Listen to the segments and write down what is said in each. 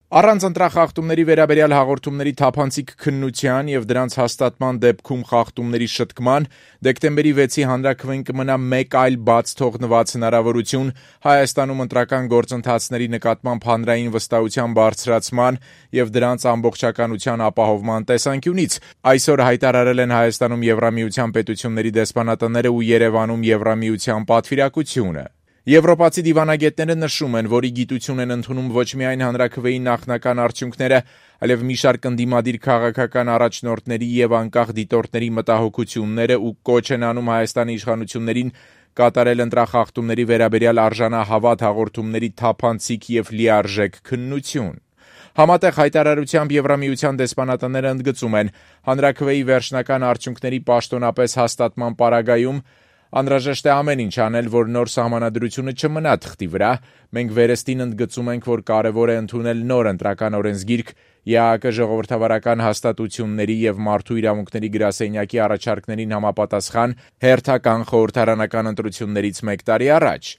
Առանց ընտրախախտումների վերաբերյալ հաղորդումների թափանցիկ քննության եւ դրանց հաստատման դեպքում խախտումների շտկման դեկտեմբերի 6-ի հանրաքվեն կմնա մեկ այլ բաց թողնված հնարավորություն Հայաստանում ընտրական գործընթացների նկատմամբ հանրային վստահության բարձրացման եւ դրանց ամբողջականության ապահովման տեսանկյունից։ Այսօր հայտարարել են Հայաստանում Եվրամիության պետությունների դեսպանատները ու Երևանում Եվրամիության պատվիրակությունը։ Եվրոպացի դիվանագետները նշում են, որ ի գիտություն են ընդունում ոչ միայն հանրաքվեի նախնական արդյունքները, այլև մի շարք ընդդիմադիր քաղաքական առաջնորդների եւ անկախ դիտորդների մտահոգությունները ու կոչ են անում Հայաստանի իշխանություններին կատարել ընտրախախտումների վերաբերյալ արժանահավատ հաղորդումների թափանցիկ եւ լիարժեք քննություն։ Համատեղ հայտարարությամբ Եվրամիության դեսպանատները ընդգծում են, հանրաքվեի վերջնական արդյունքների պաշտոնապես հաստատման պարագայում անհրաժեշտ է ամեն ինչ անել, որ նոր սահմանադրությունը չմնա թղթի վրա։ Մենք վերստին ընդգծում ենք, որ կարևոր է ընդունել նոր ընտրական օրենսգիրք, ԵԱՀԿ ժողովրդավարական հաստատությունների եւ մարդու իրավունքների գրասենյակի առաջարկներին համապատասխան հերթական խորհրդարանական ընտրություններից մեկ տարի առաջ։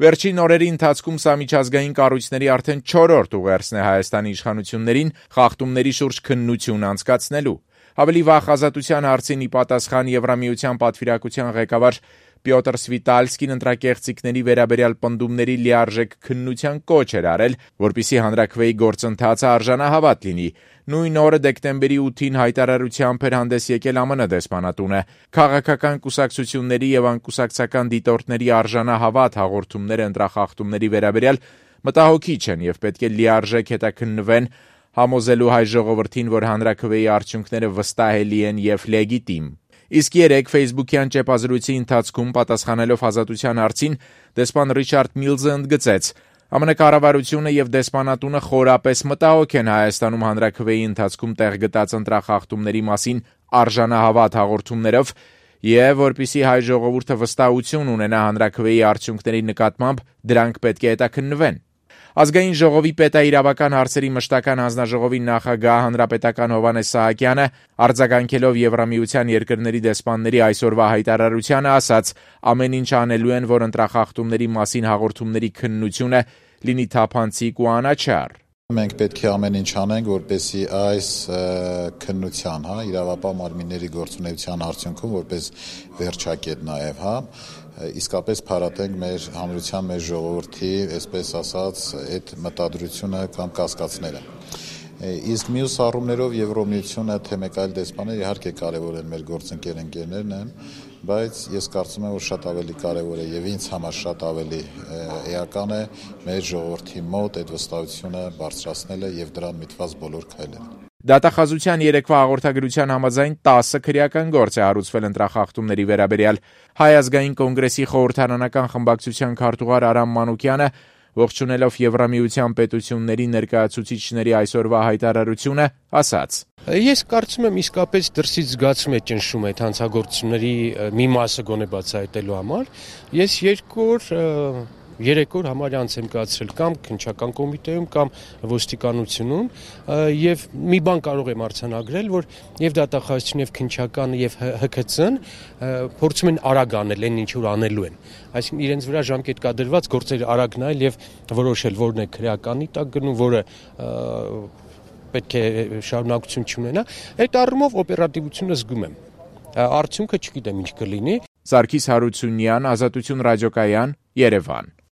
Վերջին օրերի ընթացքում սա միջազգային կառույցների արդեն 4-րդ ուղերձն է Հայաստանի իշխանություններին խախտումների շուրջ քննություն անցկացնելու։ Ավելի վաղ ազատության հարցին ի պատասխան Եվրամիության պատվիրակության ղեկավար Պյոտր Սվիտալսկին ընտրակեղծիքների վերաբերյալ պնդումների լիարժեք քննության կոչ էր արել, որպեսզի հանրաքվեի գործընթացը արժանահավատ լինի։ Նույն օրը դեկտեմբերի 8-ին հայտարարությամբ էր հանդես եկել ԱՄՆ դեսպանատունը։ Քաղաքական կուսակցությունների եւ անկուսակցական դիտորդների արժանահավատ հաղորդումները ընտրախախտումների վերաբերյալ մտահոգիչ են եւ պետք է լիարժեք հետաքննվեն, համոզելու հայ ժողովրդին, որ հանրաքվեի արդյունքները վստահելի են եւ լեգիտիմ։ Իսկ երեկ Facebook-յան ճեպազրույցի ընթացքում պատասխանելով ազատության հարցին դեսպան Ռիչարդ Միլզը ընդգծեց. ԱՄՆ կառավարությունը եւ դեսպանատունը խորապես մտահոգ են Հայաստանում հանրաքվեի ընթացքում տեղ գտած ընտրախախտումների մասին արժանահավատ հաղորդումներով եւ որպեսզի հայ ժողովուրդը վստահություն ունենա հանրաքվեի արդյունքների նկատմամբ, դրանք պետք է հետաքննվեն։ Ազգային ժողովի պետաիրավական հարցերի մշտական հանձնաժողովի նախագահ հանրապետական Հովհաննես Սահակյանը արձագանքելով Եվրամիության երկրների դեսպանների այսօրվա հայտարարությանը ասաց. ամեն ինչ անելու են, որ ընտրախախտումների մասին հաղորդումների քննությունը լինի թափանցիկ ու անաչառ։ Մենք պետք է ամեն ինչ անենք, որպեսզի այս քննության, իրավապահ մարմինների գործունեության արդյունքում որպես վերջակետ նաև, իսկապես փարատենք մեր հանրության, մեր ժողովրդի, այսպես ասած, այդ մտադրությունը կամ կասկածները։ Իսկ մյուս առումներով Եվրոմիությունը, թե մեկ այլ դեսպաններ իհարկե կարևոր են մեր գործընկերներն են, բայց ես կարծում եմ, որ շատ ավելի կարևոր է եւ ինձ համար շատ ավելի էական է մեր ժողովրդի մոտ այդ վստահությունը բարձրացնելը եւ դրան միտված բոլոր քայլերը։ Դատախազության երեկվա հաղորդագրության համաձայն 10 քրեական գործ է հարուցվել ընտրախախտումների վերաբերյալ։ Հայ ազգային կոնգրեսի խորհրդարանական խմբակցության քարտուղար Արամ Մանուկյանը ողջունելով Եվրամիության պետությունների ներկայացուցիչների այսօրվա հայտարարությունը ասաց. Ես կարծում եմ իսկապես դրսից զգացում է ճնշում այդ հանցագործությունների մի մասը գոնե բացահայտելու համար։ Ես 3 օր համարյա անց եմ կացրել կամ քննչական կոմիտեում կամ ոստիկանությունում եւ մի բան կարող եմ արձանագրել, որ եւ դատախազությունը եւ քննչականը եւ ՀՔՑ-ն փորձում են արագ անել այն ինչ որ անելու են։ Այսինքն իրենց վրա ժամկետ կա դրված գործերը արագ նայել եւ որոշել որն է քրեականի տակ գնում, որը պետք է շարունակություն չունենա։ Այդ առումով օպերատիվությունը զգում եմ։ Արդյունքը չգիտեմ ինչ կլինի։ Սարգիս Հարությունյան, Ազատություն ռադիոկայան, Երևան։